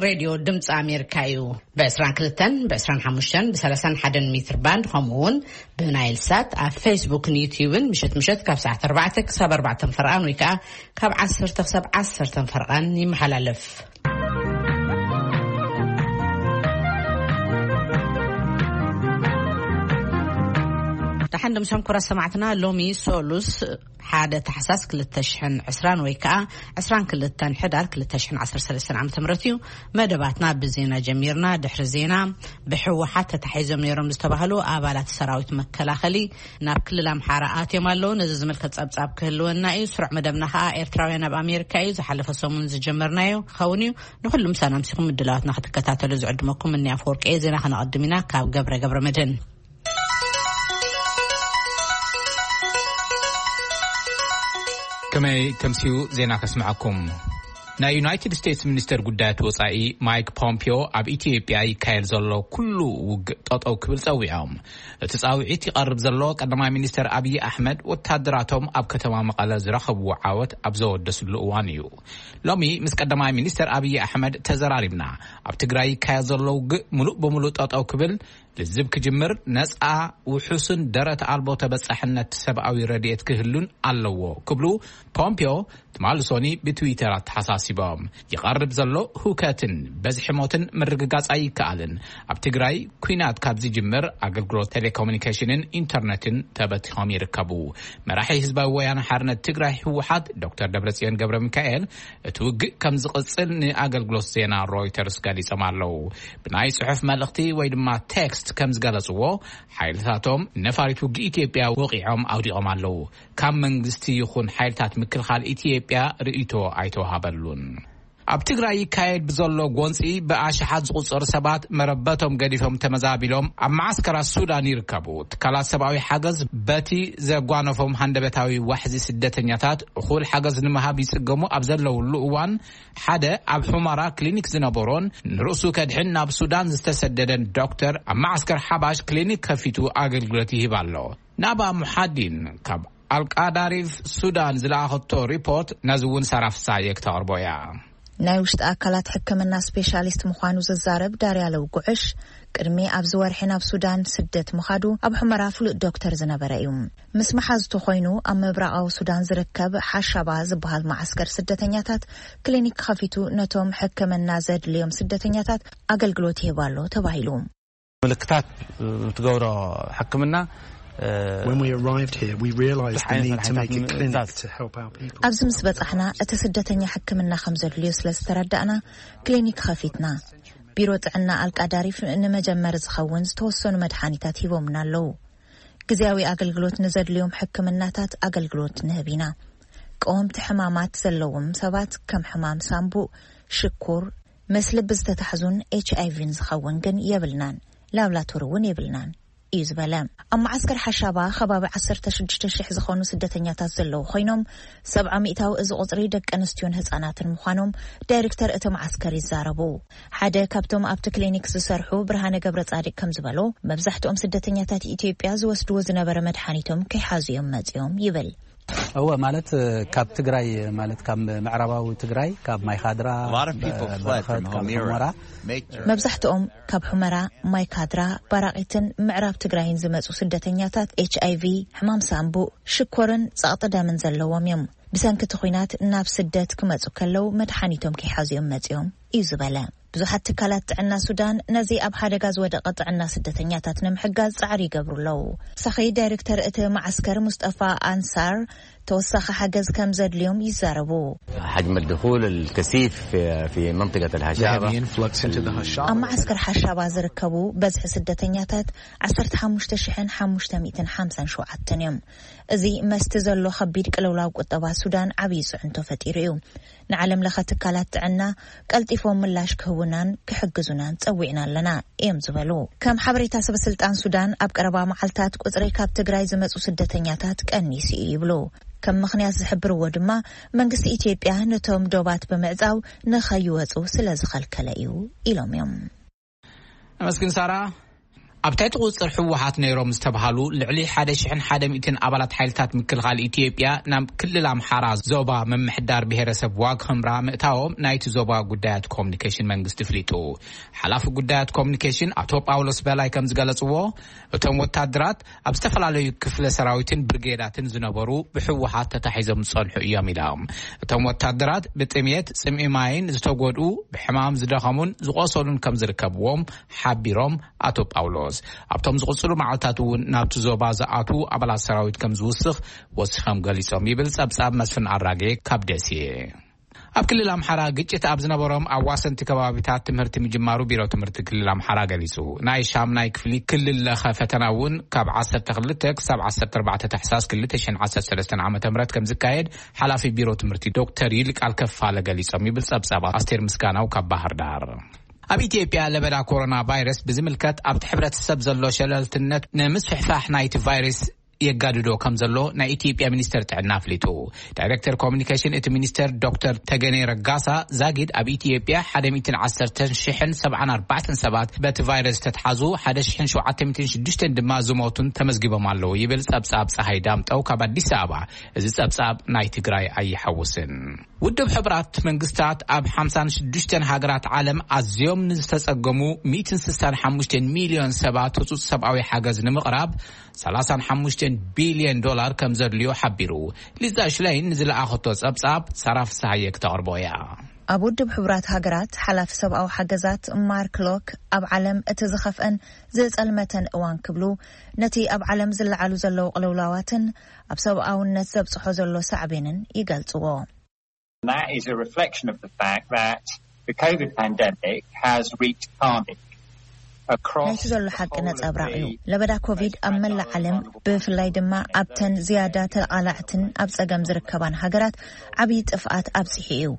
ሬድዮ ድምፂ ኣሜሪካ እዩ። ብ22፣ ብ25፣ ብ31 ሜትር ባንድ፣ ከምኡ እውን ብናይል ሳት ኣብ ፌስቡክን ዩትዩብን ምሸት ምሸት ካብ ሰዓት ኣርባዕተ ክሳብ ኣርባዕተ ፈርቓን ወይ ከዓ ካብ ዓሰርተ ክሳብ ዓሰርተ ፈርቓን ይመሓላለፍ። ደሓን ድምሶም ክቡራት ሰማዕትና፣ ሎሚ ሶሉስ ሓደ ታሕሳስ ክልተ ሽሕን ዕስራን ወይ ከዓ ዕስራን ክልተን ሕዳር ክልተ ሽሕን ዓሰርተ ሰለስተን ዓመተ ምህረት እዩ። መደባትና ብዜና ጀሚርና። ድሕሪ ዜና፣ ብህወሓት ተታሒዞም ነይሮም ዝተባህሉ ኣባላት ሰራዊት መከላኸሊ ናብ ክልል ኣምሓራ ኣትዮም ኣለዉ። ነዚ ዝምልከት ጸብጻብ ክህልወና እዩ። ስሩዕ መደብና ከዓ ኤርትራውያን ኣብ ኣሜሪካ እዩ። ዝሓለፈ ሰሙን ዝጀመርናዮ ክኸውን እዩ። ንኹሉ ምሳና ኣምሲኹም ምድላዋትና ክትከታተሉ ዝዕድመኩም እኒ ኣፈወርቂ እየ። ዜና ከነቐድም ኢና ካብ ገብረ ገብረ መድህን። ከመይ ተምስዩ ዜና ከስምዐኩም። ናይ ዩናይትድ ስቴትስ ሚኒስተር ጉዳያት ወጻኢ ማይክ ፖምፒዮ ኣብ ኢትዮጵያ ይካየድ ዘሎ ኩሉ ውግእ ጠጠው ክብል ጸዊዖም። እቲ ጻውዒት ይቐርብ ዘሎ ቀዳማይ ሚኒስተር ኣብዪ ኣሕመድ ወታደራቶም ኣብ ከተማ መቐለ ዝረኸብዎ ዓወት ኣብ ዘወደስሉ እዋን እዩ። ሎሚ ምስ ቀዳማይ ሚኒስተር ኣብዪ ኣሕመድ ተዘራሪብና። ኣብ ትግራይ ይካየድ ዘሎ ውግእ ምሉእ ብምሉእ ጠጠው ክብል፣ ልዝብ ክጅምር፣ ነጻ፣ ውሑስን ደረት ኣልቦ ተበጻሕነት ሰብኣዊ ረድኤት ክህሉን ኣለዎ ክብሉ ፖምፒዮ ትማሊ ሶኒ ብትዊተር ኣተሓሳሲቦም። ይቐርብ ዘሎ ሁከትን በዝሒ ሞትን ምርግጋጽ ኣይከኣልን። ኣብ ትግራይ ኲናት ካብ ዝጅምር ኣገልግሎት ቴሌኮሙኒኬሽንን ኢንተርነትን ተበቲኾም ይርከቡ። መራሒ ህዝባዊ ወያነ ሓርነት ትግራይ ህወሓት ዶክተር ደብረጽዮን ገብረ ሚካኤል እቲ ውግእ ከም ዝቕጽል ንኣገልግሎት ዜና ሮይተርስ ገሊጾም ኣለዉ። ብናይ ጽሑፍ መልእኽቲ ወይ ድማ ቴክስት ከም ዝገለጽዎ፣ ሓይልታቶም ነፋሪት ውግእ ኢትዮጵያ ወቒዖም ኣውዲቖም ኣለዉ። ካብ መንግስቲ ይኹን ሓይልታት ምክልኻል ኢትዮጵያ ርእይቶ ኣይተዋሃበሉን። ኣብ ትግራይ ይካየድ ብዘሎ ጎንፂ ብኣሽሓት ዝቑጸሩ ሰባት መረበቶም ገዲፎም ተመዛቢሎም ኣብ መዓስከራት ሱዳን ይርከቡ። ትካላት ሰብኣዊ ሓገዝ በቲ ዘጓነፎም ሃንደበታዊ ዋሕዚ ስደተኛታት እኹል ሓገዝ ንምሃብ ይጽገሙ ኣብ ዘለውሉ እዋን፣ ሓደ ኣብ ሑመራ ክሊኒክ ዝነበሮን ንርእሱ ከድሕን ናብ ሱዳን ዝተሰደደን ዶክተር ኣብ መዓስከር ሓባሽ ክሊኒክ ከፊቱ ኣገልግሎት ይህብ ኣሎ። ናባ ሙሓዲን ካብ ኣልቃዳሪፍ ሱዳን ዝለኣኸቶ ሪፖርት ነዚ እውን ሳራ ፍሳየ ክተቕርቦ እያ። ናይ ውሽጢ ኣካላት ሕክምና ስፔሻሊስት ምዃኑ ዝዛረብ ዳርያለው ጉዕሽ፣ ቅድሚ ኣብዚ ወርሒ ናብ ሱዳን ስደት ምኻዱ ኣብ ሑመራ ፍሉጥ ዶክተር ዝነበረ እዩ። ምስ መሓዝቱ ኮይኑ ኣብ ምብራቓዊ ሱዳን ዝርከብ ሓሻባ ዝበሃል መዓስከር ስደተኛታት ክሊኒክ ከፊቱ ነቶም ሕክምና ዘድልዮም ስደተኛታት ኣገልግሎት ይህብ ኣሎ ተባሂሉ። ምልክታት ትገብሮ ሕክምና፣ እ፣ When we arrived here, we realized the need to make a clinic to help our people. ኣብዚ ምስ በጻሕና፣ እቲ ስደተኛ ሕክምና ከም ዘድልዮ ስለ ዝተረዳእና፣ ክሊኒክ ኸፊትና። ቢሮ ጥዕና ኣልቃዳሪፍ ንመጀመሪ ዝኸውን ዝተወሰኑ መድሓኒታት ሂቦምና ኣለዉ። ግዜያዊ ኣገልግሎት ንዘድልዮም ሕክምናታት ኣገልግሎት ንህብ ኢና። ቀወምቲ ሕማማት ዘለዎም ሰባት ከም ሕማም ሳምቡእ፣ ሽኩር፣ ምስ ልቢ ዝተታሕዙን ኤች ኣይ ቪን ዝኸውን ግን የብልናን። ላብራቶሪ እውን የብልናን እዩ ዝበለ። ኣብ መዓስከር ሓሻባ ከባቢ ዓሰርተ ሽዱሽተ ሽሕ ዝኾኑ ስደተኛታት ዘለዉ ኮይኖም፣ ሰብዓ ሚእታዊ እዚ ቁጽሪ ደቂ ኣንስትዮን ህጻናትን ምዃኖም ዳይሬክተር እቲ መዓስከር ይዛረቡ። ሓደ ካብቶም ኣብቲ ክሊኒክ ዝሰርሑ ብርሃነ ገብረ ጻድቅ ከም ዝበሎ፣ መብዛሕትኦም ስደተኛታት ኢትዮጵያ ዝወስድዎ ዝነበረ መድሓኒቶም ከይሓዙ እዮም መጺኦም ይብል። እወ፣ ማለት፣ እ፣ ካብ ትግራይ፣ ማለት ካብ ምዕራባዊ ትግራይ፣ ካብ ማይካድራ፣ A lot of people እ፣ fled በረኸት፣ from ካብ Humira. ሑመራ። Make your መብዛሕትኦም ካብ ሑመራ፣ ማይካድራ፣ ባራቒትን ምዕራብ ትግራይን ዝመጹ ስደተኛታት ኤች ኣይ ቪ፣ ሕማም ሳምቡእ፣ ሽኮርን ጸቕጢ ደምን ዘለዎም እዮም። ብሰንኪ እቲ ኲናት ናብ ስደት ክመጹ ከለዉ መድሓኒቶም ከይሓዙ እዮም መጺኦም እዩ ዝበለ። ብዙሓት ትካላት ጥዕና ሱዳን ነዚ ኣብ ሓደጋ ዝወደቐ ጥዕና ስደተኛታት ንምሕጋዝ ጻዕሪ ይገብሩ ኣለዉ። ሳኺ ዳይሬክተር እቲ መዓስከር ሙስጠፋ ኣንሳር ተወሳኺ ሓገዝ ከም ዘድልዮም ይዛረቡ። حجم الدخول الكثيف في، في منطقة الهشابة. The heavy influx into the Hashaba. ኣብ መዓስከር ሓሻባ ዝርከቡ በዝሒ ስደተኛታት ዓሰርተ ሓሙሽተ ሽሕን ሓሙሽተ ሚእትን ሓምሳን ሸውዓተን እዮም። እዚ መስቲ ዘሎ ከቢድ ቅልውላው ቁጠባ ሱዳን ዓብዪ ጽዕንቶ ፈጢሩ እዩ። ንዓለም ለኸ ትካላት ጥዕና ቀልጢፎም ምላሽ ክህቡናን ክሕግዙናን ጸዊዕና ኣለና እዮም ዝበሉ። ከም ሓበሬታ ሰበ ስልጣን ሱዳን፣ ኣብ ቀረባ መዓልታት ቁጽሪ ካብ ትግራይ ዝመጹ ስደተኛታት ቀኒሱ እዩ ይብሉ። ከም ምኽንያት ዝሕብርዎ ድማ መንግስቲ ኢትዮጵያ ነቶም ዶባት ብምዕጻው ንኸይወጹ ስለ ዝኸልከለ እዩ ኢሎም እዮም። ኣመስግን ሳራ። ኣብ ትሕቲ ቁጽር ህወሓት ነይሮም ዝተብሃሉ ልዕሊ ሓደ ሽሕን ሓደ ሚእትን ኣባላት ሓይልታት ምክልኻል ኢትዮጵያ ናብ ክልል ኣምሓራ ዞባ ምምሕዳር ብሄረሰብ ዋግ ኽምራ ምእታዎም ናይቲ ዞባ ጉዳያት ኮሚኒኬሽን መንግስቲ ኣፍሊጡ። ሓላፊ ጉዳያት ኮሚኒኬሽን ኣቶ ጳውሎስ በላይ ከም ዝገለጽዎ፣ እቶም ወታደራት ኣብ ዝተፈላለዩ ክፍለ ሰራዊትን ብርጌዳትን ዝነበሩ ብህወሓት ተታሒዞም ዝጸንሑ እዮም ኢሎም። እቶም ወታደራት ብጥሜት፣ ጽምኢ ማይን ዝተጎድኡ፣ ብሕማም ዝደኸሙን ዝቆሰሉን ከም ዝርከብዎም ሓቢሮም ኣቶ ጳውሎስ። ኣብቶም ዝቕጽሉ መዓልታት እውን ናብቲ ዞባ ዝኣትዉ ኣባላት ሰራዊት ከም ዝውስኽ ወሲኾም ገሊጾም ይብል ጸብጻብ መስፍን ኣራጌ ካብ ደሴ። ኣብ ክልል ኣምሓራ ግጭት ኣብ ዝነበሮም ኣዋሰንቲ ከባቢታት ትምህርቲ ምጅማሩ ቢሮ ትምህርቲ ክልል ኣምሓራ ገሊጹ። ናይ ሻምናይ ክፍሊ ክልል ለኸ ፈተና እውን ካብ ዓሰርተ ክልተ ክሳብ ዓሰርተ ኣርባዕተ ታሕሳስ ክልተ ሽሕን ዓሰርተ ሰለስተን ዓመተ ምህረት ከም ዝካየድ ሓላፊ ቢሮ ትምህርቲ ዶክተር ይልቃል ከፋለ ገሊጾም ይብል ጸብጻብ ኣስቴር ምስጋናው ካብ ባህር ዳር። ኣብ ኢትዮጵያ ለበዳ ኮሮና ቫይረስ ብዝምልከት ኣብቲ ሕብረተሰብ ዘሎ ሸለልትነት ንምስፍሕፋሕ ናይቲ ቫይረስ የጋድዶ ከም ዘሎ ናይ ኢትዮጵያ ሚኒስተር ጥዕና ኣፍሊጡ። ዳይሬክተር ኮሚኒኬሽን እቲ ሚኒስተር ዶክተር ተገኔ ረጋሳ ዛጊድ ኣብ ኢትዮጵያ ሓደ ሚእትን ዓሰርተን ሽሕን ሰብዓን ኣርባዕተን ሰባት በቲ ቫይረስ ዝተትሓዙ፣ ሓደ ሽሕን ሸውዓተ ሚእትን ሽዱሽተን ድማ ዝሞቱን ተመዝጊቦም ኣለዉ ይብል ጸብጻብ ጸሃይ ዳምጠው ካብ ኣዲስ ኣበባ። እዚ ጸብጻብ ናይ ትግራይ ኣይሓውስን። ውድብ ሕቡራት መንግስታት ኣብ ሓምሳን ሽዱሽተን ሃገራት ዓለም ኣዝዮም ንዝተጸገሙ ሚእትን ስሳን ሓሙሽተን ሚልዮን ሰባት ህጹጽ ሰብኣዊ ሓገዝ ንምቕራብ ሰላሳን ሓሙሽተን ቢልዮን ዶላር ከም ዘድልዮ ሓቢሩ። ሊዛ ሽለይን ንዝለኣኸቶ ጸብጻብ ሳራ ፍስሃየ ክተቕርቦ እያ። ኣብ ውድብ ሕቡራት ሃገራት ሓላፊ ሰብኣዊ ሓገዛት ማርክ ሎክ፣ ኣብ ዓለም እቲ ዝኸፍአን ዝጸልመተን እዋን ክብሉ፣ ነቲ ኣብ ዓለም ዝለዓሉ ዘለዉ ቅልውላዋትን ኣብ ሰብኣውነት ዘብጽሖ ዘሎ ሳዕቤንን ይገልጽዎ። That is a reflection of the fact that the COVID pandemic has wreaked carnage across ናይቲ ዘሎ ሓቂ ነጸብራቕ እዩ። ለበዳ ኮቪድ ኣብ መላእ ዓለም፣ ብፍላይ ድማ ኣብተን ዝያዳ ተቓላዕትን ኣብ ጸገም ዝርከባን ሃገራት፣ ዓብዪ ጥፍኣት ኣብጺሑ እዩ።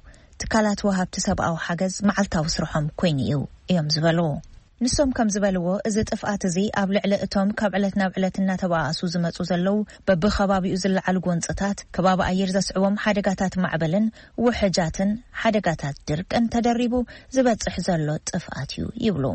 ትካላት ወሃብቲ ሰብኣዊ ሓገዝ መዓልታዊ ስርሖም ኮይኑ እዩ እዮም ዝበሉ። ንሶም ከም ዝበልዎ፣ እዚ ጥፍኣት እዚ ኣብ ልዕሊ እቶም ካብ ዕለት ናብ ዕለት እናተባኣሱ ዝመጹ ዘለዉ በብኸባቢኡ ዝለዓሉ ጎንጽታት፣ ከባቢ ኣየር ዘስዕቦም ሓደጋታት ማዕበልን ውሕጃትን ሓደጋታት ድርቅን ተደሪቡ ዝበጽሕ ዘሎ ጥፍኣት እዩ ይብሉ።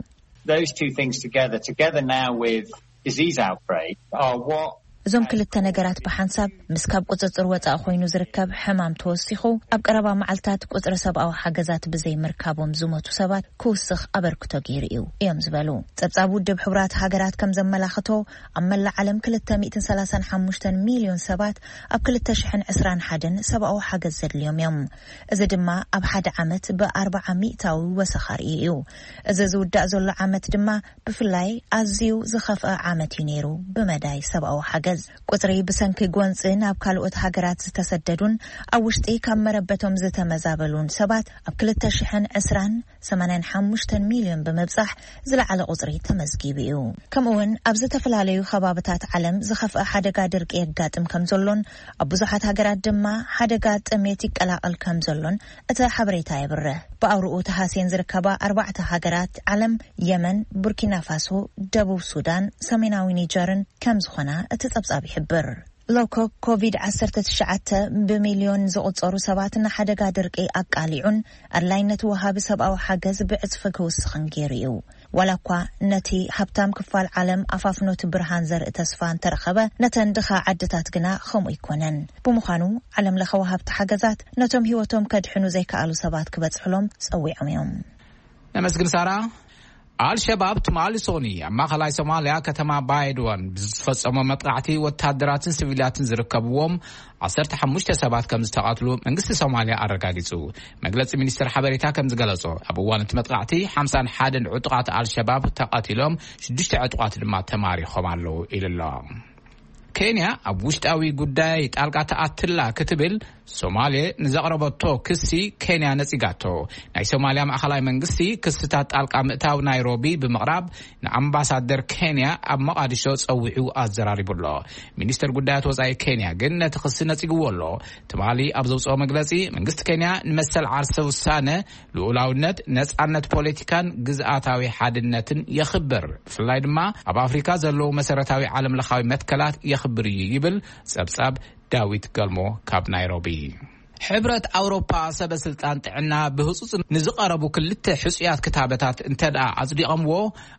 Those two things together, together now with disease outbreak, are what እዞም ክልተ ነገራት ብሓንሳብ ምስ ካብ ቁጽጽር ወጻኢ ኮይኑ ዝርከብ ሕማም ተወሲኹ፣ ኣብ ቀረባ መዓልታት ቁጽሪ ሰብኣዊ ሓገዛት ብዘይ ምርካቦም ዝሞቱ ሰባት ክውስኽ ኣበርክቶ ገይሩ እዩ እዮም ዝበሉ። ጸብጻብ ውድብ ሕቡራት ሃገራት ከም ዘመላኽቶ፣ ኣብ መላእ ዓለም ክልተ ሚእትን ሰላሳን ሓሙሽተን ሚልዮን ሰባት ኣብ ክልተ ሽሕን ዕስራን ሓደን ሰብኣዊ ሓገዝ ዘድልዮም እዮም። እዚ ድማ ኣብ ሓደ ዓመት ብኣርባዓ ሚእታዊ ወሰኽ ኣርእዩ እዩ። እዚ ዝውዳእ ዘሎ ዓመት ድማ ብፍላይ ኣዝዩ ዝኸፍአ ዓመት እዩ ነይሩ ብመዳይ ሰብኣዊ ሓገዝ። ቁጽሪ ብሰንኪ ጎንጺ ናብ ካልኦት ሃገራት ዝተሰደዱን ኣብ ውሽጢ ካብ መረበቶም ዝተመዛበሉን ሰባት ኣብ ክልተ ሽሕን ዕስራን ሰማንያን ሓሙሽተን ሚልዮን ብምብጻሕ ዝለዓለ ቁጽሪ ተመዝጊቡ እዩ። ከምኡውን ኣብ ዝተፈላለዩ ከባብታት ዓለም ዝኸፍአ ሓደጋ ድርቂ የጋጥም ከም ዘሎን ኣብ ብዙሓት ሃገራት ድማ ሓደጋ ጥሜት ይቀላቐል ከም ዘሎን እቲ ሓበሬታ የብርህ። ብኣውርኡ ተሃስየን ዝርከባ ኣርባዕተ ሃገራት ዓለም፣ የመን፣ ቡርኪና ፋሶ፣ ደቡብ ሱዳን፣ ሰሜናዊ ኒጀርን ከም ዝኾና እቲ ጸብጻብ ይሕብር። ሎኮ ኮቪድ ዓሰርተ ትሽዓተ ብሚልዮን ዝቑጸሩ ሰባት ንሓደጋ ድርቂ ኣቃሊዑን ኣድላይነት ወሃቢ ሰብኣዊ ሓገዝ ብዕጽፊ ክውስኽን ገይሩ እዩ። ዋላ እኳ ነቲ ሃብታም ክፋል ዓለም ኣፋፍኖቲ ብርሃን ዘርኢ ተስፋ እንተረኸበ፣ ነተን ድኻ ዓድታት ግና ከምኡ ኣይኮነን። ብምዃኑ፣ ዓለም ለኸ ወሃብቲ ሓገዛት ነቶም ህይወቶም ከድሕኑ ዘይከኣሉ ሰባት ክበጽሕሎም ጸዊዖም እዮም። ነመስግን ሳራ። ኣልሸባብ ትማሊ ሶኒ ኣብ ማእኸላይ ሶማልያ ከተማ ባይድዋን ብዝፈጸሞ መጥቃዕቲ ወታደራትን ሲቪላትን ዝርከብዎም ዓሰርተ ሓሙሽተ ሰባት ከም ዝተቐትሉ መንግስቲ ሶማልያ ኣረጋጊጹ። መግለጺ ሚኒስትር ሓበሬታ ከም ዝገለጾ፣ ኣብ እዋን እቲ መጥቃዕቲ ሓምሳን ሓደን ዕጡቓት ኣልሸባብ ተቐቲሎም፣ ሽዱሽተ ዕጡቓት ድማ ተማሪኾም ኣለዉ ኢሉ ኣሎ። ኬንያ ኣብ ውሽጣዊ ጉዳይ ጣልቃ ተኣትላ ክትብል ሶማሌ ንዘቕረበቶ ክሲ ኬንያ ነጺጋቶ። ናይ ሶማልያ ማእኸላይ መንግስቲ ክስታት ጣልቃ ምእታው ናይሮቢ ብምቕራብ ንኣምባሳደር ኬንያ ኣብ መቓድሾ ጸዊዑ ኣዘራሪቡ ኣሎ። ሚኒስተር ጉዳያት ወጻኢ ኬንያ ግን ነቲ ክሲ ነጺግዎ ኣሎ። ትማሊ ኣብ ዘውጽኦ መግለጺ፣ መንግስቲ ኬንያ ንመሰል ዓርሰ ውሳነ፣ ልኡላውነት፣ ነጻነት ፖለቲካን ግዝኣታዊ ሓድነትን የኽብር፣ ብፍላይ ድማ ኣብ ኣፍሪካ ዘለዉ መሰረታዊ ዓለም ለኻዊ መትከላት የኽብር እዩ ይብል ጸብጻብ ዳዊት ገልሞ ካብ ናይሮቢ። ሕብረት ኣውሮፓ ሰበ ስልጣን ጥዕና ብህጹጽ ንዝቐረቡ ክልተ ሕጹያት ክታበታት እንተ ደኣ ኣጽዲቐምዎ፣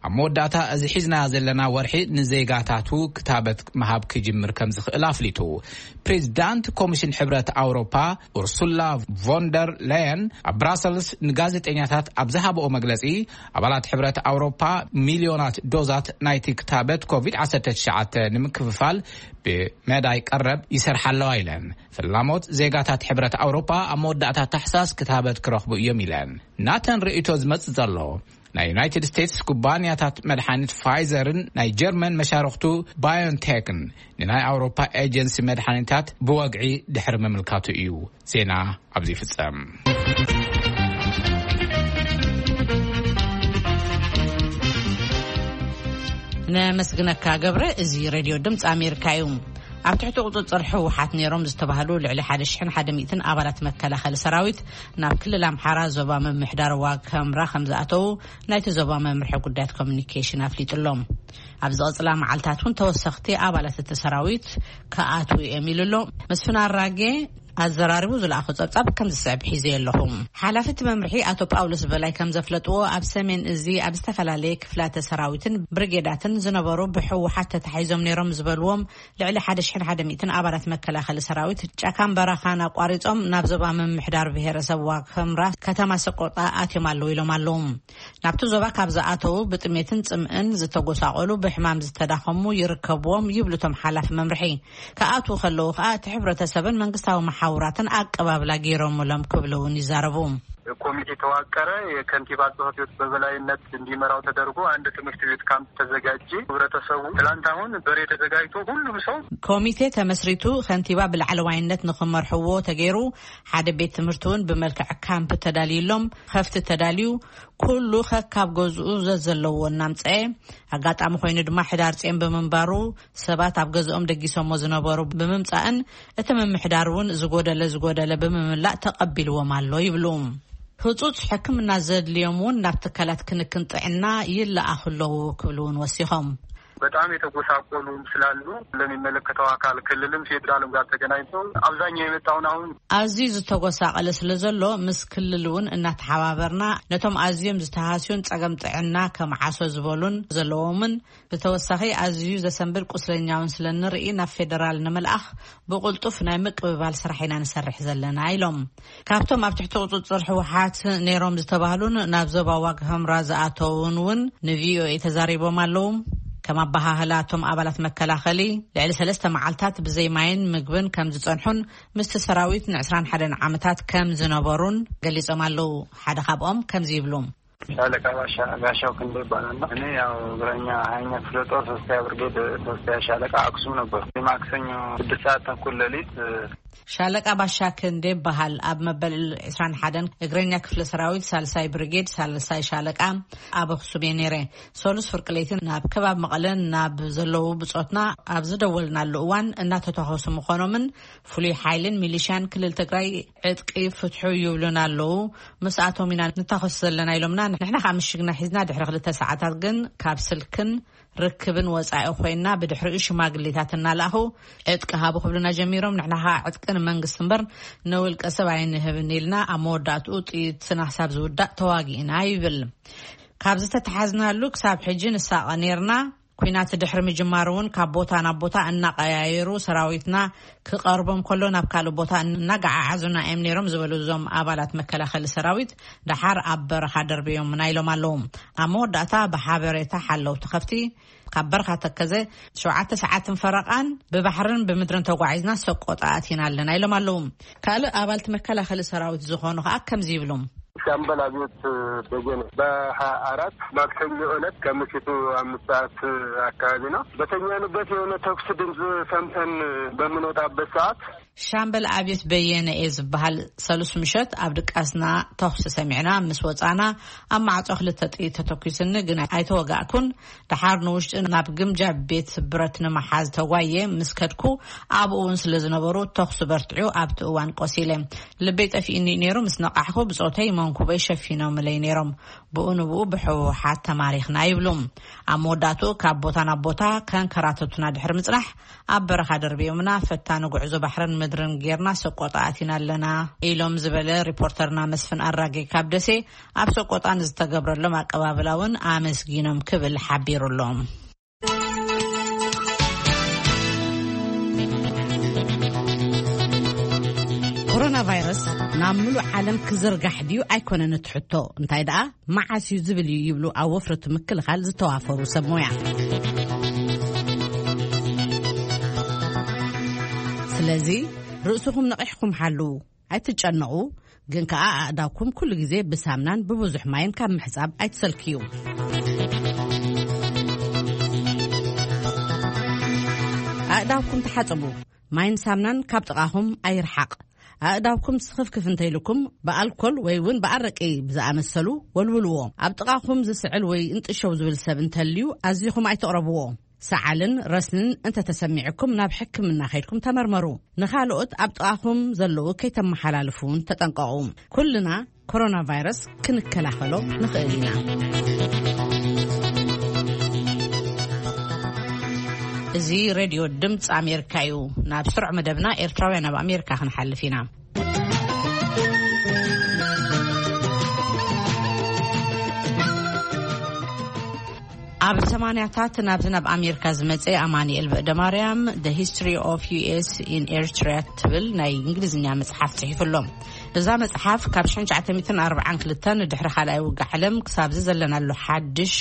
ኣብ መወዳእታ እዚ ሒዝና ዘለና ወርሒ ንዜጋታቱ ክታበት ምሃብ ክጅምር ከም ዝኽእል ኣፍሊጡ። ፕሬዚዳንት ኮሚሽን ሕብረት ኣውሮፓ ኡርሱላ ቮንደር ላየን ኣብ ብራሰልስ ንጋዜጠኛታት ኣብ ዝሃብኦ መግለጺ፣ ኣባላት ሕብረት ኣውሮፓ ሚልዮናት ዶዛት ናይቲ ክታበት ኮቪድ ዓሰርተ ትሽዓተ ንምክፍፋል ብመዳይ ቀረብ ይሰርሓ ኣለዋ ኢለን። ፍላሞት ዜጋታት ሕብረት ኣውሮፓ ኣብ መወዳእታ ታሕሳስ ክታበት ክረኽቡ እዮም ኢለን። ናተን ርእይቶ ዝመጽእ ዘሎ፣ ናይ ዩናይትድ ስቴትስ ኩባንያታት መድሓኒት ፋይዘርን ናይ ጀርመን መሻርኽቱ ባዮንቴክን ንናይ ኣውሮፓ ኤጀንሲ መድሓኒታት ብወግዒ ድሕሪ ምምልካቱ እዩ። ዜና ኣብዚ ይፍጸም። ነመስግነካ ገብረ። እዚ ሬድዮ ድምፂ ኣሜሪካ እዩ። ኣብ ትሕቲ ቁፅፅር ህወሓት ነይሮም ዝተባህሉ ልዕሊ ሓደ ሽሕን ሓደ ሚእትን ኣባላት መከላኸሊ ሰራዊት ናብ ክልል ኣምሓራ ዞባ ምምሕዳር ዋግ ኽምራ ከም ዝኣተዉ ናይቲ ዞባ መምርሒ ጉዳያት ኮሚኒኬሽን ኣፍሊጡ ኣሎ። ኣብ ዝቐፅላ መዓልታት እውን ተወሰኽቲ ኣባላት እቲ ሰራዊት ክኣትዉ እዮም ኢሉ ኣሎ። መስፍን ኣራጌ ኣዘራሪቡ ዝለኣኹ ጸብጻብ ከም ዝስዕብ ሒዘ ኣለኹ። ሓላፊ እቲ መምርሒ ኣቶ ጳውሎስ በላይ ከም ዘፍለጥዎ፣ ኣብ ሰሜን እዚ ኣብ ዝተፈላለየ ክፍላተ ሰራዊትን ብርጌዳትን ዝነበሩ ብህወሓት ተታሒዞም ነይሮም ዝበልዎም ልዕሊ ሓደ ሽሕን ሓደ ሚእትን ኣባላት መከላኸሊ ሰራዊት ጫካን በረኻን ኣቋሪጾም ናብ ዞባ ምምሕዳር ብሄረሰብ ዋግ ኽምራ ከተማ ሰቆጣ ኣትዮም ኣለዉ ኢሎም ኣለዉ። ናብቲ ዞባ ካብ ዝኣተዉ ብጥሜትን ጽምእን ዝተጎሳቆሉ፣ ብሕማም ዝተዳኸሙ ይርከብዎም ይብሉ እቶም ሓላፊ መምርሒ። ክኣትዉ ከለዉ ከኣ እቲ ሕብረተሰብን መንግስታዊ መሓውራትን ኣቀባብላ ገይሮምሎም ክብሉ እውን ይዛረቡ። ኮሚቴ ተዋቀረ፣ የከንቲባ ጽሕፈት ቤት በበላይነት እንዲመራው ተደርጎ አንድ ትምህርት ቤት ካምፕ ተዘጋጀ። ህብረተሰቡ ትላንት አሁን በሬ ተዘጋጅቶ ሁሉም ሰው ኮሚቴ ተመስሪቱ፣ ከንቲባ ብላዕለዋይነት ንኽመርሕዎ ተገይሩ፣ ሓደ ቤት ትምህርቲ እውን ብመልክዕ ካምፕ ተዳልዩሎም፣ ከፍቲ ተዳልዩ፣ ኩሉ ከካብ ገዝኡ ዘዘለዎ እናምፀኤ፣ ኣጋጣሚ ኮይኑ ድማ ሕዳር ጼን ብምንባሩ ሰባት ኣብ ገዝኦም ደጊሶሞ ዝነበሩ ብምምፃእን እቲ ምምሕዳር እውን ዝጎደለ ዝጎደለ ብምምላእ ተቐቢልዎም ኣሎ ይብሉ። ህጹጽ ሕክምና ዘድልዮም እውን ናብ ትካላት ክንክን ጥዕና ይለኣኹ ኣለዉ ክብሉ እውን ወሲኾም። በጣም የተጎሳቆሉ ስላሉ ለሚመለከተው አካል ክልልም ፌዴራልም ጋር ተገናኝተው አብዛኛው የመጣውን አሁን ኣዝዩ ዝተጎሳቐለ ስለ ዘሎ ምስ ክልል እውን እናተሓባበርና ነቶም ኣዝዮም ዝተሃስዩን ጸገም ጥዕና ከመዓሶ ዝበሉን ዘለዎምን ብተወሳኺ ኣዝዩ ዘሰንብድ ቁስለኛውን ስለ ንርኢ ናብ ፌደራል ንምልኣኽ ብቕልጡፍ ናይ ምቅብባል ስራሕ ኢና ንሰርሕ ዘለና ኢሎም። ካብቶም ኣብ ትሕቲ ቁፅፅር ህወሓት ነይሮም ዝተባህሉን ናብ ዞባ ዋግ ህምራ ዝኣተውን እውን ንቪኦኤ ተዛሪቦም ኣለዉ። ከም ኣበሃህላ እቶም ኣባላት መከላኸሊ ልዕሊ ሰለስተ መዓልታት ብዘይ ማይን ምግብን ከም ዝፀንሑን ምስቲ ሰራዊት ንዕስራን ሓደን ዓመታት ከም ዝነበሩን ገሊጾም ኣለዉ። ሓደ ካብኦም ከምዚ ይብሉ። ሻለቃ ባሻ ጋሻው ክንደ ይባላል። እኔ ያው እግረኛ ሀያኛ ክፍለ ጦር ሶስተኛ ብርጌድ ሶስተኛ ሻለቃ አክሱም ነበር። ማክሰኞ ስድስት ሰዓት ተኩል ሌሊት ሻለቃ ባሻ ክንዴ ይበሃል። ኣብ መበል ዕስራን ሓደን እግረኛ ክፍለ ሰራዊት ሳልሳይ ብርጌድ ሳልሳይ ሻለቃ ኣብ ኣኽሱም እየ ነይረ። ሰሉስ ፍርቂ ለይቲ ናብ ከባቢ መቐለን ናብ ዘለዉ ብጾትና ኣብ ዝደወልናሉ እዋን እናተተኾሱ ምዃኖምን ፍሉይ ሓይልን ሚሊሻን ክልል ትግራይ ዕጥቂ ፍትሑ ይብሉና ኣለዉ። ምስኣቶም ኢና ንታኾስ ዘለና ኢሎምና። ንሕና ከዓ ምሽግና ሒዝና ድሕሪ ክልተ ሰዓታት ግን ካብ ስልክን ርክብን ወጻኢ ኮይና፣ ብድሕሪኡ ሽማግሌታት እናለኣኹ ዕጥቂ ሃቡ ክብሉና ጀሚሮም። ንሕና ከዓ ዕጥቂ ንመንግስቲ እምበር ንውልቀ ሰብ ኣይንህብን ኢልና፣ ኣብ መወዳእትኡ ጥይትና ክሳብ ዝውዳእ ተዋጊእና ይብል። ካብ ዝተተሓዝናሉ ክሳብ ሕጂ ንሳቐ ነይርና። ኲናት ድሕሪ ምጅማሩ እውን ካብ ቦታ ናብ ቦታ እናቐያየሩ ሰራዊትና ክቐርቦም ከሎ ናብ ካልእ ቦታ እናገዓዓዙና እዮም ነይሮም ዝበሉ እዞም ኣባላት መከላኸሊ ሰራዊት፣ ደሓር ኣብ በረኻ ደርብዮምና ኢሎም ኣለዉ። ኣብ መወዳእታ ብሓበሬታ ሓለውቲ ከፍቲ ካብ በረኻ ተከዘ ሸውዓተ ሰዓትን ፈረቓን ብባሕርን ብምድርን ተጓዒዝና ሰቆጣ ኣቲና ኣለና ኢሎም ኣለዉ። ካልእ ኣባልቲ መከላኸሊ ሰራዊት ዝኾኑ ከዓ ከምዚ ይብሉ። ሻምበል ኣብዮት በየነ በሃያ አራት ማክሰኞ ዕለት ከምሽቱ አምስት ሰዓት አካባቢ ነው። በተኛንበት የሆነ ተኩስ ድምፅ ሰምተን በምንወጣበት ሰዓት ሻምበል ኣብዮት በየነ እየ ዝበሃል። ሰሉስ ምሸት ኣብ ድቃስና ተኹሲ ሰሚዕና ምስ ወጻና ኣብ ማዕጾ ክልተ ጥይት ተተኲስኒ፣ ግን ኣይተወጋእኩን። ደሓር ንውሽጢ ናብ ግምጃ ቤት ብረት ንምሓዝ ተጓየ ምስ ከድኩ፣ ኣብኡ እውን ስለ ዝነበሩ ተኹሲ በርትዑ ኣብቲ እዋን ቆሲለ። ልበይ ጠፊእኒ ነይሩ። ምስ ነቃሕኩ ብጾተይ መንኩበይ ሸፊኖምለይ ነይሮም። ብኡ ንብኡ ብሕወሓት ተማሪኽና ይብሉ። ኣብ መወዳእትኡ ካብ ቦታ ናብ ቦታ ከንከራተቱና ድሕሪ ምጽናሕ፣ ኣብ በረኻ ደርብዮምና። ፈታኒ ጉዕዞ ባሕርን ምድርን ጌርና ሰቆጣ ኣቲና ኣለና ኢሎም ዝበለ ሪፖርተርና መስፍን ኣራጌ ካብ ደሴ፣ ኣብ ሰቆጣ ንዝተገብረሎም ኣቀባብላ እውን ኣመስጊኖም ክብል ሓቢሩ ኣሎ። ኮሮና ቫይረስ ናብ ምሉእ ዓለም ክዝርጋሕ ድዩ ኣይኮነን እቲ ሕቶ፣ እንታይ ደኣ መዓስ እዩ ዝብል እዩ ይብሉ ኣብ ወፍሪ እቲ ምክልኻል ዝተዋፈሩ ሰብ ሞያ። ስለዚ ርእስኹም ነቒሕኩም ሓልዉ። ኣይትጨነቑ፣ ግን ከኣ ኣእዳውኩም ኩሉ ግዜ ብሳምናን ብብዙሕ ማይን ካብ ምሕጻብ ኣይትሰልክዩ። ኣእዳውኩም ተሓጸቡ። ማይን ሳምናን ካብ ጥቓኹም ኣይርሓቕ። ኣእዳውኩም ስኽፍክፍ እንተኢልኩም ብኣልኮል ወይ እውን ብኣረቂ ብዝኣመሰሉ ወልውልዎ። ኣብ ጥቓኹም ዝስዕል ወይ እንጥሸው ዝብል ሰብ እንተልዩ ኣዚኹም ኣይትቕረብዎ። ሰዓልን ረስንን እንተተሰሚዕኩም ናብ ሕክምና ከይድኩም ተመርመሩ። ንኻልኦት ኣብ ጥቓኹም ዘለዉ ከይተመሓላልፉ እውን ተጠንቀቑ። ኩልና ኮሮና ቫይረስ ክንከላኸሎ ንኽእል ኢና። እዚ ሬድዮ ድምፂ ኣሜሪካ እዩ። ናብ ስሩዕ መደብና ኤርትራውያን ኣብ ኣሜሪካ ክንሓልፍ ኢና። ኣብ ሰማንያታት ናብዚ ናብ ኣሜሪካ ዝመጸ ኣማኑኤል በእደ ማርያም፣ The History of U S in Eritrea ትብል ናይ እንግሊዝኛ መጽሓፍ ጽሒፉ ኣሎ። እዛ መጽሓፍ ካብ ሽሕን ትሽዓተ ሚእትን ኣርባዓን ክልተን ድሕሪ ካልኣይ ውግእ ዓለም ክሳብ እዚ ዘለናሉ ሓድሽ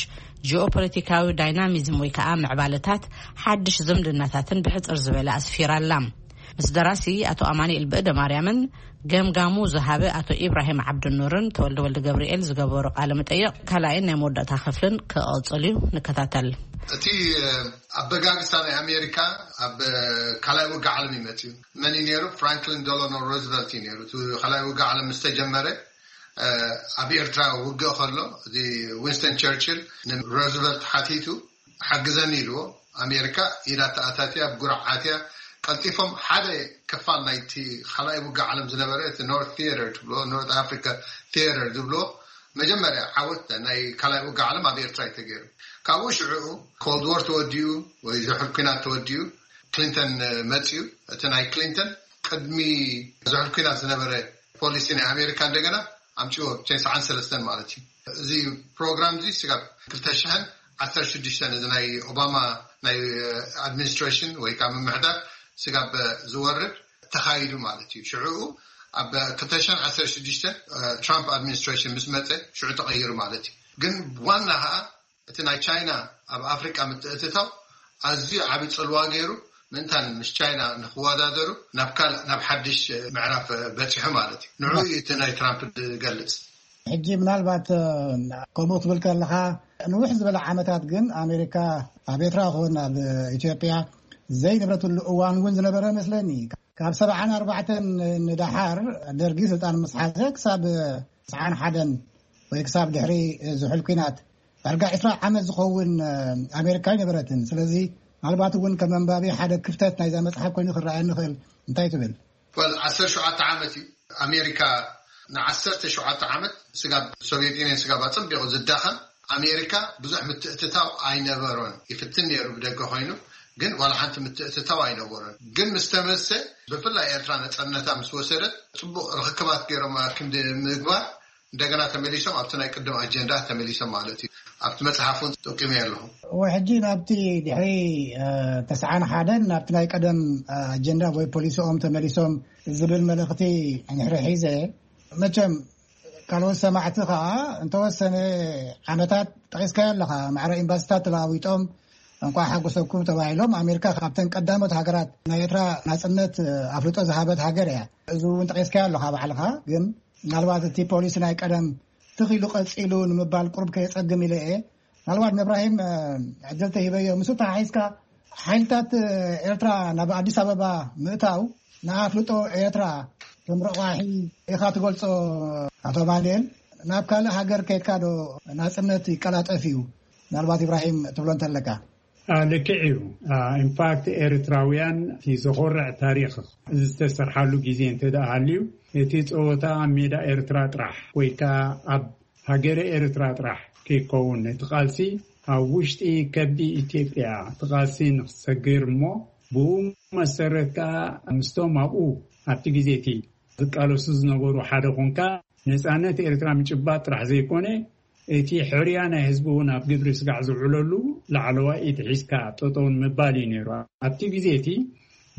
ጂኦፖለቲካዊ ዳይናሚዝም ወይ ከኣ ምዕባለታት ሓድሽ ዝምድናታትን ብሕጽር ዝበለ ኣስፊራ ኣላ። ምስ ደራሲ ኣቶ ኣማኑኤል በእደ ማርያምን ገምጋሙ ዝሃበ ኣቶ ኢብራሂም ዓብዱኑርን ተወልደ ወልደ ገብርኤል ዝገበሮ ቃለ መጠይቕ ካልኣይን ናይ መወዳእታ ክፍልን ክቕጽል እዩ። ንከታተል። እቲ ኣበጋግሳ ናይ ኣሜሪካ ኣብ ካልኣይ ውግእ ዓለም እዩ መፅዩ። መን እዩ ነይሩ? ፍራንክሊን ደሎኖ ሮዝቨልት እዩ ነይሩ። እቲ ካልኣይ ውግእ ዓለም ምስ ተጀመረ ኣብ ኤርትራ ውግእ ከሎ እዚ ዊንስተን ቸርችል ንሮዝቨልት ሓቲቱ ሓግዘኒ ኢልዎ። ኣሜሪካ ኢዳ ተኣታትያ፣ ብጉርዓትያ ቀልጢፎም ሓደ ክፋል ናይቲ ካልኣይ ውግእ ዓለም ዝነበረ እቲ ኖርት ቲየተር ትብሎ፣ ኖርት ኣፍሪካ ቲየተር ዝብሎ መጀመርያ ዓወት ናይ ካልኣይ ውግእ ዓለም ኣብ ኤርትራ እዩ ተገይሩ። ካብኡ ሽዕኡ ኮልድ ዎር ተወዲኡ ወይ ዝሑል ኩናት ተወዲኡ ክሊንተን መፅዩ። እቲ ናይ ክሊንተን ቅድሚ ዝሑል ኩናት ዝነበረ ፖሊሲ ናይ ኣሜሪካ እንደገና ኣምፅዎ፣ ብተስዓን ሰለስተን ማለት እዩ። እዚ ፕሮግራም እዚ ስጋብ ክልተ ሽሕን ዓሰርተ ሽዱሽተን እዚ ናይ ኦባማ ናይ ኣድሚኒስትሬሽን ወይ ከዓ ምምሕዳር ስጋብ ዝወርድ ተኻይዱ ማለት እዩ። ሽዑ ኣብ ክልተ ሽሕን ዓሰርተ ሽዱሽተን ትራምፕ ኣድሚኒስትሬሽን ምስ መፀ ሽዑ ተቐይሩ ማለት እዩ። ግን ዋና ከዓ እቲ ናይ ቻይና ኣብ ኣፍሪቃ ምትእትታው ኣዝዩ ዓቢ ጽልዋ ገይሩ፣ ምእንታን ምስ ቻይና ንኽወዳደሩ ናብ ካልእ፣ ናብ ሓድሽ ምዕራፍ በጺሑ ማለት እዩ። ንዕኡ እዩ እቲ ናይ ትራምፕ ዝገልጽ። ሕጂ ምናልባት፣ ከምኡ ክትብል ከለኻ፣ ንውሕ ዝበለ ዓመታት ግን ኣሜሪካ ኣብ ኤርትራ ይኹን ኣብ ኢትዮጵያ ዘይነብረትሉ እዋን እውን ዝነበረ መስለኒ። ካብ ሰብዓን ኣርባዕተን ንደሓር፣ ደርጊ ስልጣን ምስ ሓዘ ክሳብ ሰብዓን ሓደን ወይ ክሳብ ድሕሪ ዝሑል ኲናት ዳርጋ ዕስራ ዓመት ዝኸውን ኣሜሪካ ኣይነበረትን። ስለዚ ምናልባት እውን ከም ኣንባቢ ሓደ ክፍተት ናይዛ መጽሓፍ ኮይኑ ክረኣየኒ ይኽእል። እንታይ ትብል? ወል ዓሰርተ ሸውዓተ ዓመት እዩ። ኣሜሪካ ንዓሰርተ ሸውዓተ ዓመት ስጋብ ሶቪየት ዩኒየን ስጋብ ኣጸቢቑ ዝዳኸም ኣሜሪካ ብዙሕ ምትእትታው ኣይነበሮን። ይፍትን ነይሩ ብደገ ኮይኑ፣ ግን ዋላ ሓንቲ ምትእትታው ኣይነበሮን። ግን ምስ ተመሰ፣ ብፍላይ ኤርትራ ነጻነታ ምስ ወሰደት፣ ጽቡቕ ርኽክባት ገይሮም ክንዲ ምግባር እንደገና ተመሊሶም ኣብቲ ናይ ቅድም ኣጀንዳ ተመሊሶም ማለት እዩ። ኣብቲ መጽሓፍ እውን ጠቂመ ኣለኹ። እወ፣ ሕጂ ናብቲ ድሕሪ፣ እ፣ ተስዓን ሓደን ናብቲ ናይ ቀደም፣ እ፣ ኣጀንዳ ወይ ፖሊሲኦም ተመሊሶም ዝብል መልእኽቲ እንድሕሪ ሒዘ፣ መቸም ካልኦት ሰማዕቲ ኸዓ እንተወሰነ ዓመታት ጠቒስካዮ ኣለኻ። ማዕረ ኤምባሲታት ተለዋዊጦም እንቋዕ ሓጎሰኩም ተባሂሎም። ኣሜሪካ ካብተን ቀዳሞት ሃገራት ናይ ኤርትራ ናጽነት ኣፍልጦ ዝሃበት ሃገር እያ። እዚ እውን ጠቒስካዮ ኣለኻ ባዕልኻ። ግን ምናልባት እቲ ፖሊሲ ናይ ቀደም ትኽ ኢሉ ቀጺሉ ንምባል ቁሩብ ከየጸግም ኢለ እየ። ምናልባት ንእብራሂም፣ እ፣ ዕድል ተሂበዮ። ምስኡ ተሓሒዝካ ሓይልታት ኤርትራ ናብ ኣዲስ ኣበባ ምእታው ንኣፍልጦ ኤርትራ ከም ረቋሒ ኢኻ ትገልጾ። ኣቶ ኣማኑኤል፣ ናብ ካልእ ሃገር ከይድካ ዶ ናጽነት ይቀላጠፍ እዩ? ምናልባት ኢብራሂም ትብሎ እንተለካ። አ፣ ልክዕ እዩ። አ፣ ኢንፋክት ኤርትራውያን እቲ ዘኾርዕ ታሪኽ ዝተሰርሓሉ ግዜ እንተ ደኣ ሃልዩ፣ እቲ ጸወታ ኣብ ሜዳ ኤርትራ ጥራሕ ወይ ከኣ ኣብ ሃገረ ኤርትራ ጥራሕ ከይከውን፣ እቲ ቃልሲ ኣብ ውሽጢ ከብዲ ኢትዮጵያ እቲ ቃልሲ ንክሰግር እሞ፣ ብኡ መሰረት ከኣ ምስቶም ኣብኡ ኣብቲ ግዜ እቲ ዝቃለሱ ዝነበሩ ሓደ ኮንካ፣ ነጻነት ኤርትራ ምጭባጥ ጥራሕ ዘይኮነ፣ እቲ ሕርያ ናይ ህዝቢ እውን ኣብ ግብሪ ስጋዕ ዝውዕለሉ ላዕለዋይ ኢድ ሒዝካ ጠጠውን ምባል እዩ ነይሩ። ኣብቲ ግዜ እቲ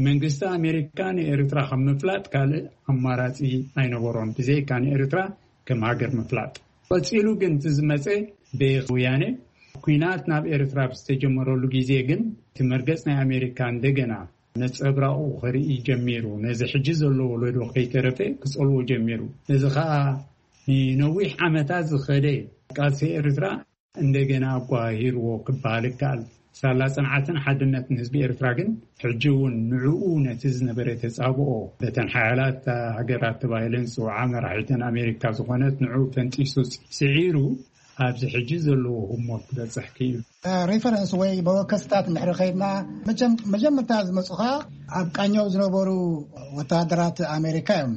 መንግስቲ ኣሜሪካ ንኤርትራ ከም ምፍላጥ ካልእ ኣማራጺ ኣይነበሮን፣ ብዘይካ ንኤርትራ ከም ሃገር ምፍላጥ። ቀጺሉ ግን እቲ ዝመጸ ብወያነ ኲናት ናብ ኤርትራ ብዝተጀመረሉ ግዜ ግን እቲ መርገጽ ናይ ኣሜሪካ እንደገና ነጸብራቑ ክርኢ ጀሚሩ። ነዚ ሕጂ ዘሎ ወለዶ ከይተረፈ ክጸልዎ ጀሚሩ። እዚ ኸኣ ንነዊሕ ዓመታት ዝኸደ ቃልሲ ኤርትራ እንደገና ኣጓሂርዎ ክበሃል ይከኣል። ሳላ ጽንዓትን ሓድነትን ህዝቢ ኤርትራ ግን፣ ሕጂ እውን ንዕኡ ነቲ ዝነበረ ተጻብኦ፣ በተን ሓያላት ሃገራት ተባሂለን ዝጽውዓ መራሒተን ኣሜሪካ ዝኾነት ንዕኡ ፈንጢሱ ስዒሩ፣ ኣብዚ ሕጂ ዘለዎ ህሞት ክበጽሕ ክኢሉ። ሬፈረንስ ወይ መወከስታት እንድሕሪ ከይድና፣ መቸም-፣ መጀመርታ ዝመጹኻ ኣብ ቃኘው ዝነበሩ ወተሃደራት ኣሜሪካ እዮም።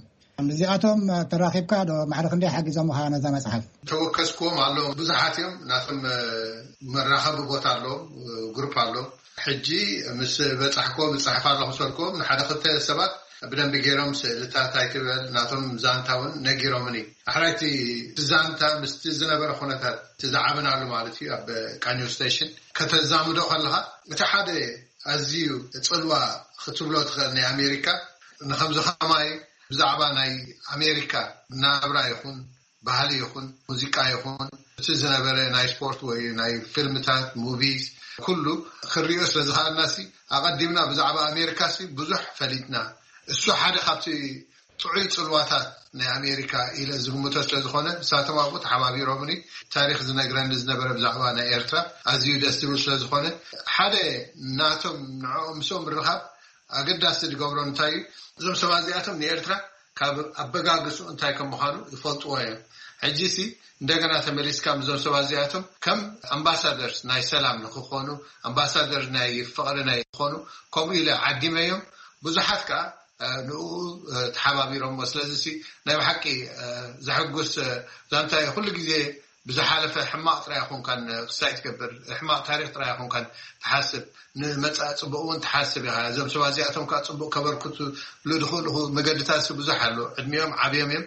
እዚኣቶም ተራኺብካ ዶ ማዕረ ክንደይ ሓጊዞምኻ ነዛ መጽሓፍ? ተወከስኩዎም ኣለዎም። ብዙሓት እዮም። ናቶም መራኸቢ ቦታ ኣለዎም፣ ግሩፕ ኣለዎም። ሕጂ ምስ በጻሕኩዎም እጽሕፍ ኣለኹ፣ ሰልኩዎም ንሓደ ክልተ ሰባት ብደንቢ ገይሮም ስእልታት ኣይትበል ናቶም ዛንታ እውን ነጊሮምኒ። ኣሕራይቲ ዛንታ ምስቲ ዝነበረ ኩነታት እቲ ዝዓበናሉ ማለት እዩ ኣብ ቃኘው ስቴሽን ከተዛምዶ ከለኻ፣ እቲ ሓደ ኣዝዩ ጽልዋ ክትብሎ ትኽእል ናይ ኣሜሪካ፣ ንኸምዚ ከማይ ብዛዕባ ናይ ኣሜሪካ ናብራ ይኹን፣ ባህሊ ይኹን፣ ሙዚቃ ይኹን፣ እቲ ዝነበረ ናይ ስፖርት ወይ ናይ ፊልምታት፣ ሙቪስ፣ ኩሉ ክሪኦ ስለ ዝኸኣልና ሲ፣ ኣቐዲምና ብዛዕባ ኣሜሪካ ሲ ብዙሕ ፈሊጥና። እሱ ሓደ ካብቲ ጥዑይ ጽልዋታት ናይ ኣሜሪካ ኢለ ዝግምቶ ስለ ዝኾነ፣ ንሳቶም ኣብኡ ተሓባቢሮምኒ። ታሪኽ ዝነግረኒ ዝነበረ ብዛዕባ ናይ ኤርትራ ኣዝዩ ደስ ዝብል ስለ ዝኾነ፣ ሓደ ናቶም ንዕኦም ምስኦም ምርኻብ ኣገዳሲ ዝገብሮ እንታይ እዩ? እዞም ሰባት እዚኣቶም ንኤርትራ ካብ ኣበጋግስኡ እንታይ ከም ምዃኑ ይፈልጥዎ እዮም። ሕጂ ሲ እንደገና ተመሊስካ ምስዞም ሰባት እዚኣቶም ከም ኣምባሳደርስ ናይ ሰላም ንክኾኑ፣ ኣምባሳደር ናይ ፍቕሪ ናይ ክኾኑ፣ ከምኡ ኢለ ዓዲመዮም። ብዙሓት ከኣ ንኡ ተሓባቢሮሞ። ስለዚ ሲ ናይ ብሓቂ ዘሐጉስ ዛንታ እዩ። ኩሉ ግዜ ብዝሓለፈ ሕማቕ ጥራይ ኣይኮንካን ክሳይ ትገብር፣ ሕማቕ ታሪኽ ጥራይ ኣይኮንካን ትሓስብ፣ ንመጻኢ ጽቡቕ እውን ትሓስብ ኢኻ። እዞም ሰባት እዚኣቶም ከኣ ጽቡቕ ከበርክቱ ዝኽእሉ መገድታት ብዙሕ ኣሎ። ዕድሚኦም ዓብዮም እዮም።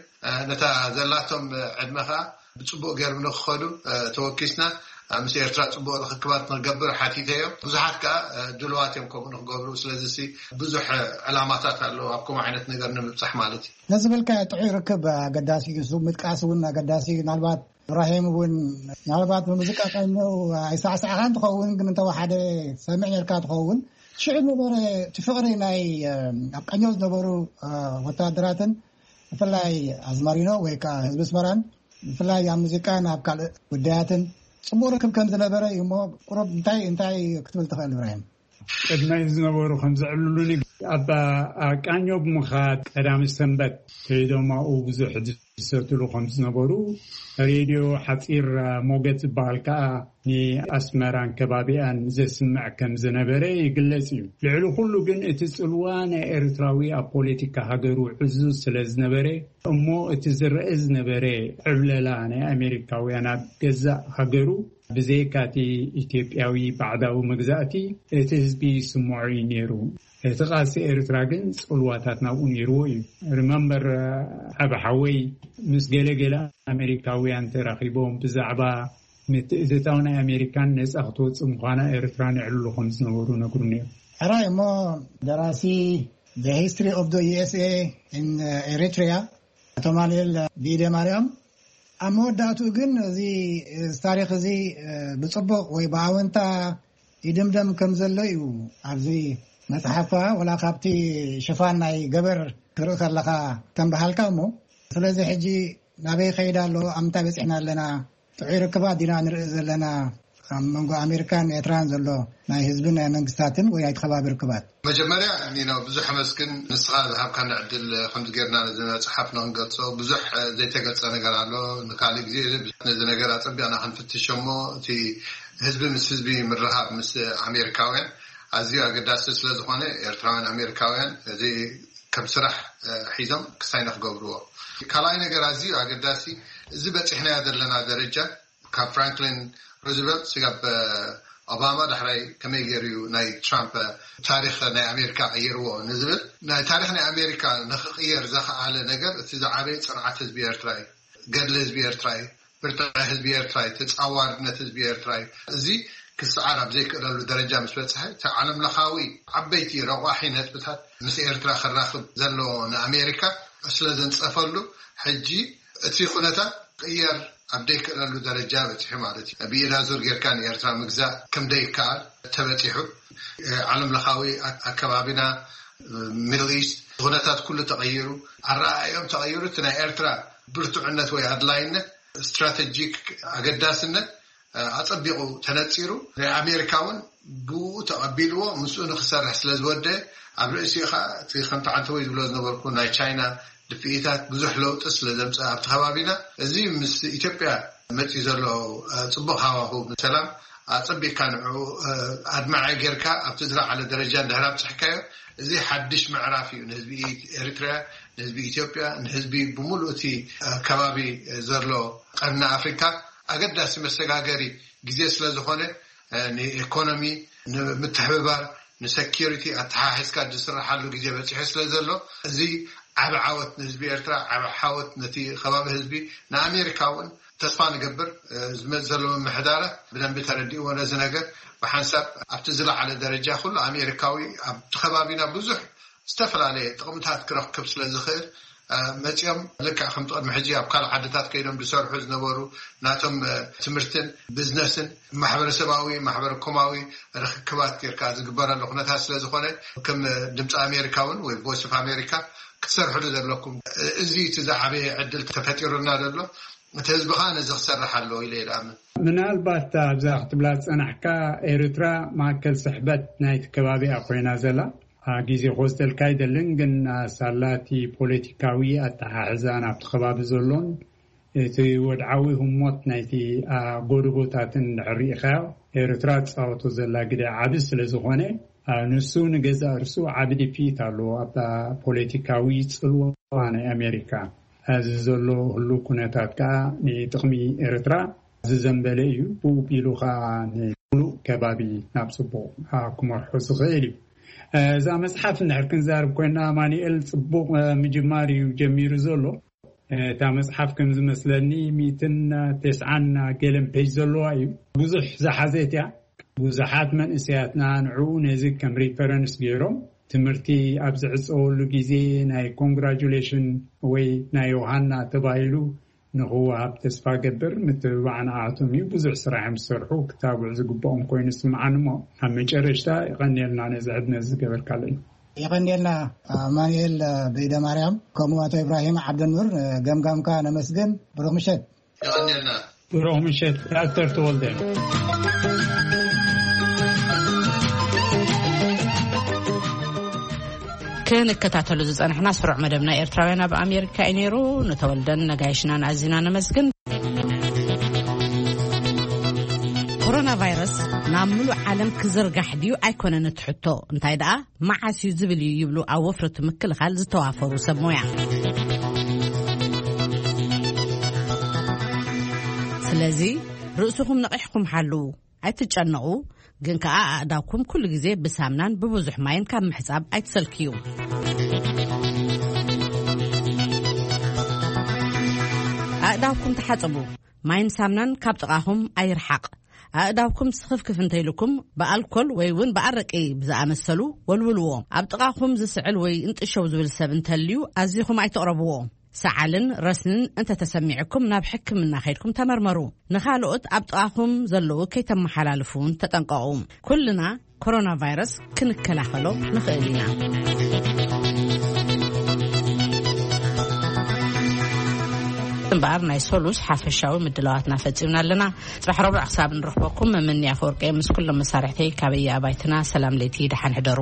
ነታ ዘላቶም ዕድመ ከኣ ብጽቡቕ ገይሮም ንክኸዱ ተወኪስና ምስ ኤርትራ ጽቡቕ ርክክባት ንክገብር ሓቲተዮ። ብዙሓት ከኣ ድልዋት እዮም ከምኡ ንክገብሩ። ስለዚ ሲ ብዙሕ ዕላማታት ኣለዎ ኣብ ከምኡ ዓይነት ነገር ንምብጻሕ ማለት እዩ። ነዚ ዝበልካዮ ጥዑይ ርክብ ኣገዳሲ እዩ። ንሱ ምጥቃስ እውን ኣገዳሲ እዩ። ምናልባት እብራሂም እውን ምናልባት ብሙዚቃ ቃኘው ኣይሳዕሳዕኻን ትኸውን፣ ግን እንተወሓደ ሰሚዕ ነርካ ትኸውን። ሽዑ ነበረ እቲ ፍቕሪ ናይ ኣብ ቃኘው ዝነበሩ ወተሃደራትን ብፍላይ ኣዝማሪኖ ወይ ከዓ ህዝቢ ኣስመራን ብፍላይ ኣብ ሙዚቃን ኣብ ካልእ ጉዳያትን ጽቡቕ ርክብ ከም ዝነበረ እዩ። እሞ ቁሩብ እንታይ እንታይ ክትብል ትኽእል እብራሂም? ቅድመይ ዝነበሩ ከም ዘዕልሉኒ፣ ኣብ ቃኘው ብምኻድ ቀዳሚ ሰንበት ከይዶም ኣብኡ ብዙሕ ዝሰትሉ ከም ዝነበሩ፣ ሬድዮ ሓጺር ሞገድ ዝበሃል ከኣ ንኣስመራን ከባቢኣን ዘስምዕ ከም ዝነበረ ይግለጽ እዩ። ልዕሊ ኩሉ ግን እቲ ጽልዋ ናይ ኤርትራዊ ኣብ ፖለቲካ ሃገሩ ዕዙዝ ስለ ዝነበረ፣ እሞ እቲ ዝረአ ዝነበረ ዕብለላ ናይ ኣሜሪካውያን ኣብ ገዛእ ሃገሩ፣ ብዘይካቲ ኢትዮጵያዊ ባዕዳዊ መግዛእቲ፣ እቲ ህዝቢ ይስምዖ እዩ ነይሩ። እቲ ቃልሲ ኤርትራ ግን ጽልዋታት ናብኡ ነይርዎ እዩ። ሪመምበር፣ ዓቢ ሓወይ ምስ ገለ ገለ ኣሜሪካውያን ተራኺቦም ብዛዕባ ምትእትታው ናይ ኣሜሪካን ነጻ ክትወጽእ ምዃና ኤርትራን የዕልሉ ከም ዝነበሩ ነግሩኒ እዮም። ሕራይ እሞ ደራሲ The History of the U S A in Eritrea ኣቶ ማኑኤል ቢደ ማርያም፣ ኣብ መወዳእትኡ ግን እዚ፣ እዚ ታሪኽ እዚ ብጽቡቕ ወይ ብኣወንታ ይድምደም ከም ዘሎ እዩ ኣብዚ መጽሓፍካ፣ ወላ ካብቲ ሽፋን ናይ ገበር ትርኢ ከለኻ ከም በሃልካ እሞ። ስለዚ ሕጂ ናበይ ከይዳ ኣሎ? ኣብ ምንታይ በጺሕና ኣለና? ጥዑይ ርክባት ዲና ንርኢ ዘለና ኣብ መንጎ ኣሜሪካን ኤርትራን ዘሎ ናይ ህዝብን ናይ መንግስታትን ወይ ናይ ከባቢ ርክባት? መጀመርያ ኒኖ ብዙሕ ኣመስግን፣ ንስኻ ዝሃብካና ዕድል። ከምዚ ጌርና ነዚ መጽሓፍ ንክንገልጾ ብዙሕ ዘይተገልጸ ነገር ኣሎ። ንካልእ ግዜ ነዚ ነገር ኣጸቢቕና ክንፍትሾ እሞ፣ እቲ ህዝቢ ምስ ህዝቢ ምርኻብ ምስ ኣሜሪካውያን ኣዝዩ ኣገዳሲ ስለ ዝኾነ፣ ኤርትራውያን ኣሜሪካውያን እዚ ከም ስራሕ ሒዞም ክሳይ ንክገብርዎ። ካልኣይ ነገር ኣዝዩ ኣገዳሲ፣ እዚ በፂሕናዮ ዘለና ደረጃ ካብ ፍራንክሊን ሩዝቨልት ስጋብ ኦባማ ዳሕራይ ከመይ ገይሩ እዩ ናይ ትራምፕ ታሪክ ናይ ኣሜሪካ ቀይርዎ ንዝብል፣ ናይ ታሪክ ናይ ኣሜሪካ ንክቅየር ዘኸኣለ ነገር እቲ ዝዓበየ ፅንዓት ህዝቢ ኤርትራ እዩ። ገድሊ ህዝቢ ኤርትራ እዩ። ብርታዐ ህዝቢ ኤርትራ እዩ። ተጻዋርነት ህዝቢ ኤርትራ እዩ። እዚ ክስዓር ኣብ ዘይክእለሉ ደረጃ ምስ በጽሐ፣ እቲ ዓለም ለኻዊ ዓበይቲ ረቋሒ ነጥብታት ምስ ኤርትራ ክራኽብ ዘለዎ ንኣሜሪካ ስለ ዘንጸፈሉ፣ ሕጂ እቲ ኩነታት ቅየር ኣብ ዘይክእለሉ ደረጃ በጺሑ ማለት እዩ። ብኢዳ ዙር ጌርካ ንኤርትራ ምግዛእ ከም ዘይከኣል ተበጺሑ፣ ዓለም ለኻዊ ኣከባቢና፣ ሚድል ኢስት፣ ኩነታት ኩሉ ተቐይሩ፣ ኣረኣእዮም ተቐይሩ፣ እቲ ናይ ኤርትራ ብርቱዕነት ወይ ኣድላይነት፣ ስትራተጂክ ኣገዳስነት ኣጸቢቑ ተነጺሩ፣ ናይ ኣሜሪካ እውን ብኡ ተቐቢልዎ ምስኡ ንክሰርሕ ስለ ዝወደ፣ ኣብ ርእሲኡ ኸዓ እቲ ከምቲ ዓንተወይ ዝብሎ ዝነበርኩ ናይ ቻይና ድፍኢታት ብዙሕ ለውጢ ስለ ዘምጽእ ኣብቲ ከባቢና፣ እዚ ምስ ኢትዮጵያ መጺኡ ዘሎ ጽቡቕ ሃዋሁ ሰላም ኣጸቢቕካ ንዕኡ ኣድማዒ ጌርካ ኣብቲ ዝለዓለ ደረጃ እንድሕር ኣብጽሕካዮ፣ እዚ ሓድሽ ምዕራፍ እዩ ንህዝቢ ኤሪትርያ፣ ንህዝቢ ኢትዮጵያ፣ ንህዝቢ ብምሉእ እቲ ከባቢ ዘሎ ቀርኒ ኣፍሪካ ኣገዳሲ መሰጋገሪ ግዜ ስለ ዝኾነ፣ ንኢኮኖሚ፣ ንምትሕብባር፣ ንሰኪሪቲ ኣተሓሒዝካ ዝስራሓሉ ግዜ በፂሑ ስለ ዘሎ፣ እዚ ዓቢ ዓወት ንህዝቢ ኤርትራ፣ ዓቢ ዓወት ነቲ ከባቢ ህዝቢ፣ ንኣሜሪካ እውን ተስፋ ንገብር። ዝመፅእ ዘሎ ምምሕዳራት ብደንቢ ተረዲእዎ ነዚ ነገር፣ ብሓንሳብ ኣብቲ ዝለዓለ ደረጃ ኩሉ ኣሜሪካዊ ኣብቲ ከባቢና ብዙሕ ዝተፈላለየ ጥቕምታት ክረክብ ስለ ዝኽእል፣ መፂኦም ልክዕ ከምቲ ቅድሚ ሕጂ ኣብ ካልእ ዓድታት ከይዶም ዝሰርሑ ዝነበሩ፣ ናቶም ትምህርትን ቢዝነስን ማሕበረሰባዊ፣ ማሕበረ ኮማዊ ርክክባት ጌርካ ዝግበረሉ ኩነታት ስለ ዝኾነ፣ ከም ድምፂ ኣሜሪካ እውን ወይ ቮይስ ኦፍ ኣሜሪካ ክትሰርሕሉ ዘለኩም፣ እዚ እቲ ዝዓበየ ዕድል ተፈጢሩልና ዘሎ። እቲ ህዝቢ ከዓ ነዚ ክሰርሕ ኣለዎ ኢለ ይኣምን። ምናልባት ኣብዛ ክትብላ ዝፀናሕካ፣ ኤርትራ ማእከል ስሕበት ናይቲ ከባቢኣ ኮይና ዘላ፣ ግዜ ክወስደልካ ኣይደልን፣ ግን ሳላቲ ፖለቲካዊ ኣተሓሕዛ ናብቲ ከባቢ ዘሎን እቲ ወድዓዊ ህሞት ናይቲ ጎደቦታትን እንድሕር ርኢኻዮ፣ ኤርትራ ትፃወቶ ዘላ ግደ ዓቢ ስለ ዝኾነ፣ ንሱ ንገዛእ ርእሱ ዓቢ ድፍኢት ኣለዎ ኣብታ ፖለቲካዊ ጽልዋ ናይ ኣሜሪካ። እዚ ዘሎ ህሉው ኩነታት ከኣ ንጥቕሚ ኤርትራ ዝዘንበለ እዩ። ብኡ ቢሉ ከኣ ንሙሉእ ከባቢ ናብ ጽቡቕ ክመርሖ ዝኽእል እዩ። እዛ መጽሓፍ እንድሕር ክንዛርብ ኮይና፣ ኣማኑኤል ጽቡቕ ምጅማር እዩ ጀሚሩ ዘሎ። እታ መጽሓፍ ከም ዝመስለኒ ሚእትን ተስዓን ገለን ፔጅ ዘለዋ እዩ። ብዙሕ ዝሓዘት እያ። ብዙሓት መንእሰያትና ንዕኡ ነዚ ከም ሪፈረንስ ገይሮም፣ ትምህርቲ ኣብ ዝዕጸወሉ ግዜ ናይ ኮንግራጁሌሽን ወይ ናይ ዮሃና ተባሂሉ ንኽወሃብ ተስፋ ገብር። ምትብባዕ ንኣቶም እዩ። ብዙሕ ስራሕ እዮም ዝሰርሑ፣ ክታብዑ ዝግብኦም ኮይኑ ዝስምዓኒ። እሞ ኣብ መጨረሽታ ይቐንየልና ነዚ ዕድመ ዝገበርካለይ። የቐንየልና ኣማኑኤል በይደ ማርያም፣ ከምኡ ኣቶ ኢብራሂም ዓብደኑር፣ ገምጋምካ ነመስግን። ብሩኽ ምሸት። የቐንየልና። ብሩኽ ምሸት ዳክተር ተወልደ። ክንከታተሉ ዝጸናሕና ስሩዕ መደብና ኤርትራውያን ኣብ ኣሜሪካ እዩ ነይሩ። ንተወልደን ነጋይሽናን ኣዚና ነመስግን። ኮሮና ቫይረስ ናብ ምሉእ ዓለም ክዝርጋሕ ድዩ ኣይኮነን እቲ ሕቶ፣ እንታይ ደኣ መዓስ እዩ ዝብል እዩ ይብሉ ኣብ ወፍሪ እቲ ምክልኻል ዝተዋፈሩ ሰብ ሞያ። ስለዚ ርእስኹም ነቒሕኩም ሓልዉ፣ ኣይትጨነቑ፣ ግን ከኣ ኣእዳውኩም ኩሉ ግዜ ብሳምናን ብብዙሕ ማይን ካብ ምሕጻብ ኣይትሰልክዩ። ኣእዳውኩም ተሓጸቡ፣ ማይን ሳምናን ካብ ጥቓኹም ኣይርሓቕ። ኣእዳውኩም ስኽፍክፍ እንተኢልኩም ብኣልኮል ወይ እውን ብኣረቂ ብዝኣመሰሉ ወልውልዎ። ኣብ ጥቓኹም ዝስዕል ወይ እንጥሸው ዝብል ሰብ እንተልዩ ኣዚኹም ኣይትቕረብዎ። ሰዓልን ረስንን እንተተሰሚዕኩም ናብ ሕክምና ከይድኩም ተመርመሩ። ንኻልኦት ኣብ ጥቓኹም ዘለዉ ከይተመሓላልፉ እውን ተጠንቀቑ። ኩልና ኮሮና ቫይረስ ክንከላኸሎ ንኽእል ኢና። እምበኣር ናይ ሶሉስ ሓፈሻዊ ምድላዋትና ፈጺምና ኣለና። ጽባሕ ረቡዕ ክሳብ ንረኽበኩም፣ መምኒ ኣፈወርቂ ምስ ኩሎም መሳርሕተይ ካበየ ኣባይትና ሰላም ለይቲ፣ ደሓን ሕደሩ።